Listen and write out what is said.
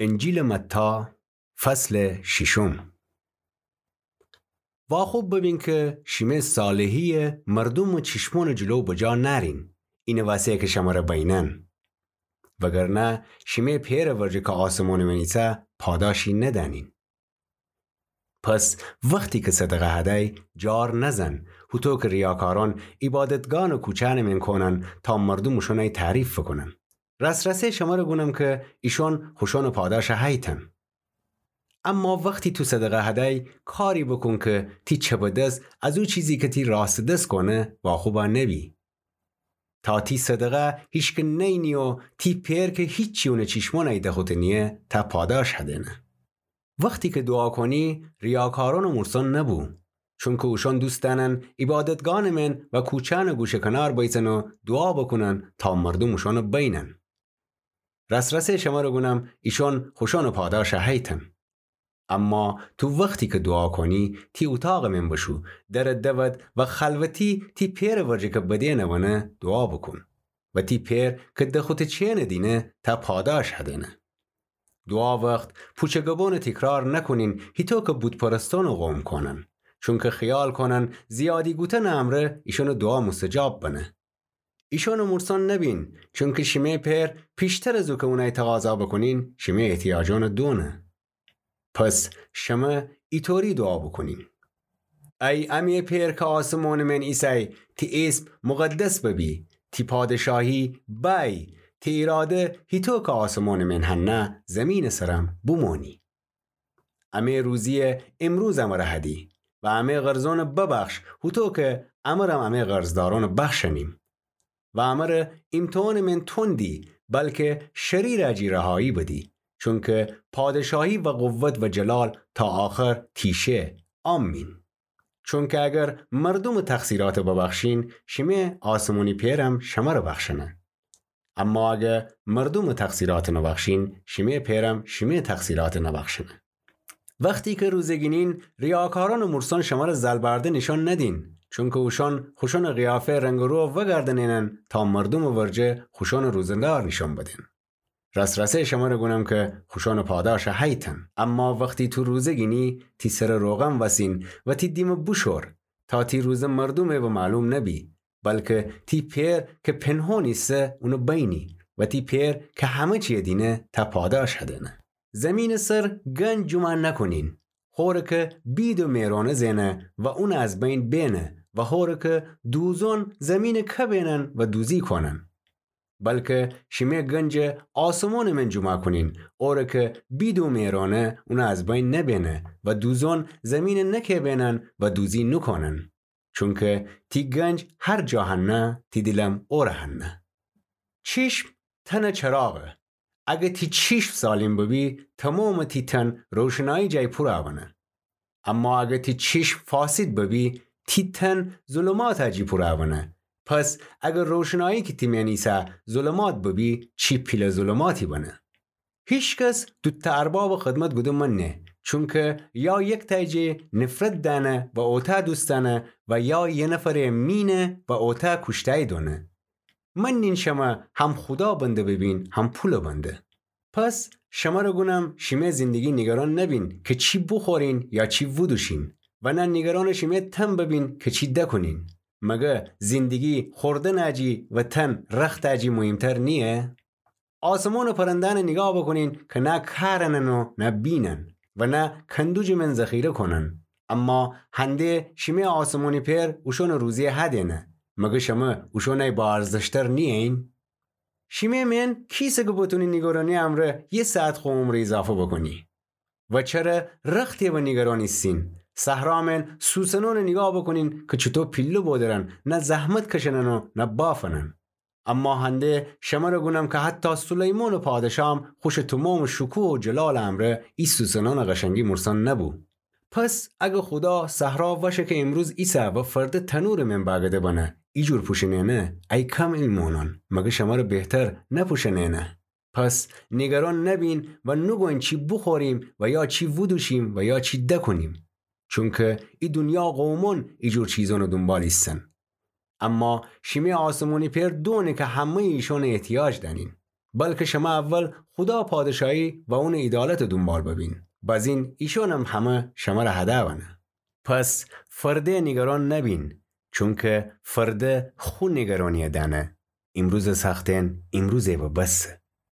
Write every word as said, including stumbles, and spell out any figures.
انجیلٚ متی، فصلٚ شیشم. واخوب ببین کی شیمه صالحیی مردومٚ چیشمونٚ جلو بجا نأرین، اینٚ وسه کی شمره بینن. وگرنه شیمه پئرٚ ورجه کی آسمونٚ مئن ایسه پاداشی ندأنین. پس وختی کی صدقه هدی، جار نزن، هوطو کی ریاکارأن عیبادتگانٚ کوچأنٚ مئن کونن تا مردوم اوشأنی تعریف فوکونن. راس‌راسی شمره گونم کی ایشأن خوشأنٚ پاداش هیتن. اما وختی تو صدقه هدی، کاری بوکون کی تی چپٚ دس از او چیزی کی تی راستٚ دس کونه واخوبا نبی، تا تی صدقه هیچکی نینه و تی پئر کی هیچی اونٚ چیشمونی دخوطه نییه ته پاداش هدینه. وختی کی دوعا کونی، ریاکارأن و مورسأن نبو، چونکی اوشأن دوست دأنن عیبادتگانٚ مئن و کوچأنٚ گوشه کنار بیسن و دوعا بوکونن تا مردوم اوشأن بینن. راس‌راسی شمره گونم ایشأن خوشأنٚ پاداش هیتن. اما تو وختی کی دوعا کونی، تی اوطاقٚ مئن بشو، درٚ دود و خلوتی تی پئرٚ ورجه کی بدینٚ ونه دوعا بوکون و تی پئر کی دخوطه چئنٚ دینه ته پاداش هدینه. دوعا وخت پوچٚ گبونٚ تیکرار نکونین، هیطو کی بوت‌پرستأنٚ قوم کونن، چونکی خیال کونن زیادی گوتنٚ امرأ ایشأنٚ دوعا موستجاب بنه. ایشأنٚ مورسأن نبین، چونکی شیمه پئر پیشتر از او کی اونی تقاضا بوکونین شیمه احتیاجأنٚ دونه. پس شمه ایطوری دوعا بوکونین: ای امه پئر کی آسمونٚ مئن ایسی، تی ایسم مقدس ببی، تی پادشاهی بأیی، تی ایراده هیطو کی آسمونٚ مئن هنه زمینٚ سرم بومونی. امه روزیی امروز امره هدی و امه قرضأن ببخش، هوطو کی امرم امه قرضدارأن بخشنیم. و امره ایمتحانٚ مئن تون دی، بلکی شریرٚ جی رهایی بدی، چونکی پادشاهی و قوت و جلال تا آخر تی شه. آمین. چونکی اگر مردومٚ تقصیرأت ببخشین، شیمه آسمونی پئرم شمره بخشنه. اما اگر مردومٚ تقصیرأت نبخشین، شیمه پئرم شیمه تقصیرأت نبخشنه. وختی کی روزه گینین، ریاکارأن و مورسأن شمره زلبرده نیشأن ندین، چونکی اوشأن خوشأنٚ قیافه رنگ و رو وگردنینن تا مردومٚ ورجه خوشأنٚ روزه‌دار نیشأن بدین. راس‌راسی شمره گونم کی خوشأنٚ پاداش هیتن. اما وختی تو روزه گینی، تی سر روغن وسین و تی دیمٚ بوشور، تا تی روزه مردومی به معلوم نبی، بلکی تی پئر کی پنهان ایسه اون بینی و تی پئر کی همه چی دینه ته پاداش هدینه. زمینٚ سر گنج جمع نکونین، هوری کی بید و میرانه زئنه و اون از بین بینه و هوری کی دوزون زمینٚ کبینن و دوزی کونن. بلکی شیمه گنج آسمونٚ مئن جمع کونین، اوری کی بید و میرانه اون از بین نبینه و دوزون زمینٚ نکبینن و دوزی نوکونن. چونکی تی گنج هر جا هنه، تی دیلم اوره هنه. چیشم تنٚ چراغه. اگر تی چیشم سالم ببی، تومامٚ تی تن روشنایی جای پورا بنه. اما اگر تی چیشم فاسد ببی، تی تن ظلمات جی پورا بنه. پس اگر روشنایی کی تی مئن ایسه ظلمات ببی، چی پیله ظلماتی بنه. هیکس دوتأ اربابٚ خدمت گودن منه، چونکی یا یکتأی جی نفرت دأنه و اوتأ دوست دأنه و یا یه نفر مینه و اوتأ کوشتأی دونه. منین شمه هم خودا بنده ببین، هم پولٚ بنده. پس شمره گونم شیمه زندگی نیگران نبین کی چی بوخورین یا چی بودوشین، و نه نیگرانٚ شیمه تن ببین کی چی دکونین. مگر زندگی خوردنٚ جی و تن رختٚ جی مهمتر نییه؟ آسمونٚ پرندأنٚ نیگاه بوکونین کی نه کارنن و نه بینن و نه کندوجٚ مئن ذخیره کونن، اما هنده شیمه آسمونی پئر اوشونٚ روزی هدینه. مگر شمه اوشونی با ارزشتر نیین؟ شیمه مئن کیسه کی بتونی نیگرانی امرأ یه ساعت خو عمر ایضافه بوکونی؟ و چره رختی به نیگران ایسین؟ صحرا مئن سوسنونٚ نیگاه بوکونین کی چوطو پیله بودرن، نه زحمت کشنن و نه بافنن. اما هنده شمره گونم کی حتی سلیمانٚ پادشاهم خوشٚ تومامٚ شکوه و جلالٚ امرأ ای سوسنانٚ قشنگی مورسان نبو. پس اگر خودا صحرا وشه کی امروز ایسه و فرده تنورٚ مئن بأگده بنه، ایجور پوشنئنه، ای کم ایمأنان، مگر شمره بهتر نپوشنئنه؟ پس نیگران نبین و نوگوین چی بوخوریم و یا چی وودوشیم و یا چی دکونیم. چونکی ای دونیا قومأن ایجور چیزأنٚ دونبال ایسن. اما شیمی آسمونی پئر دونه کی همه‌یٚ ایشأنٚ احتیاج دأنین. بلکه شمه اول خودا پادشاهی و اونٚ عیدالتٚ دونبال ببین، بازین ایشأنم همه شمره هده بنه. پس فرده نیگران نبین، چونکه فرده خو نیگرانی‌یه دأنه. ایمروزٚ ساختن ایمروزه و بسه.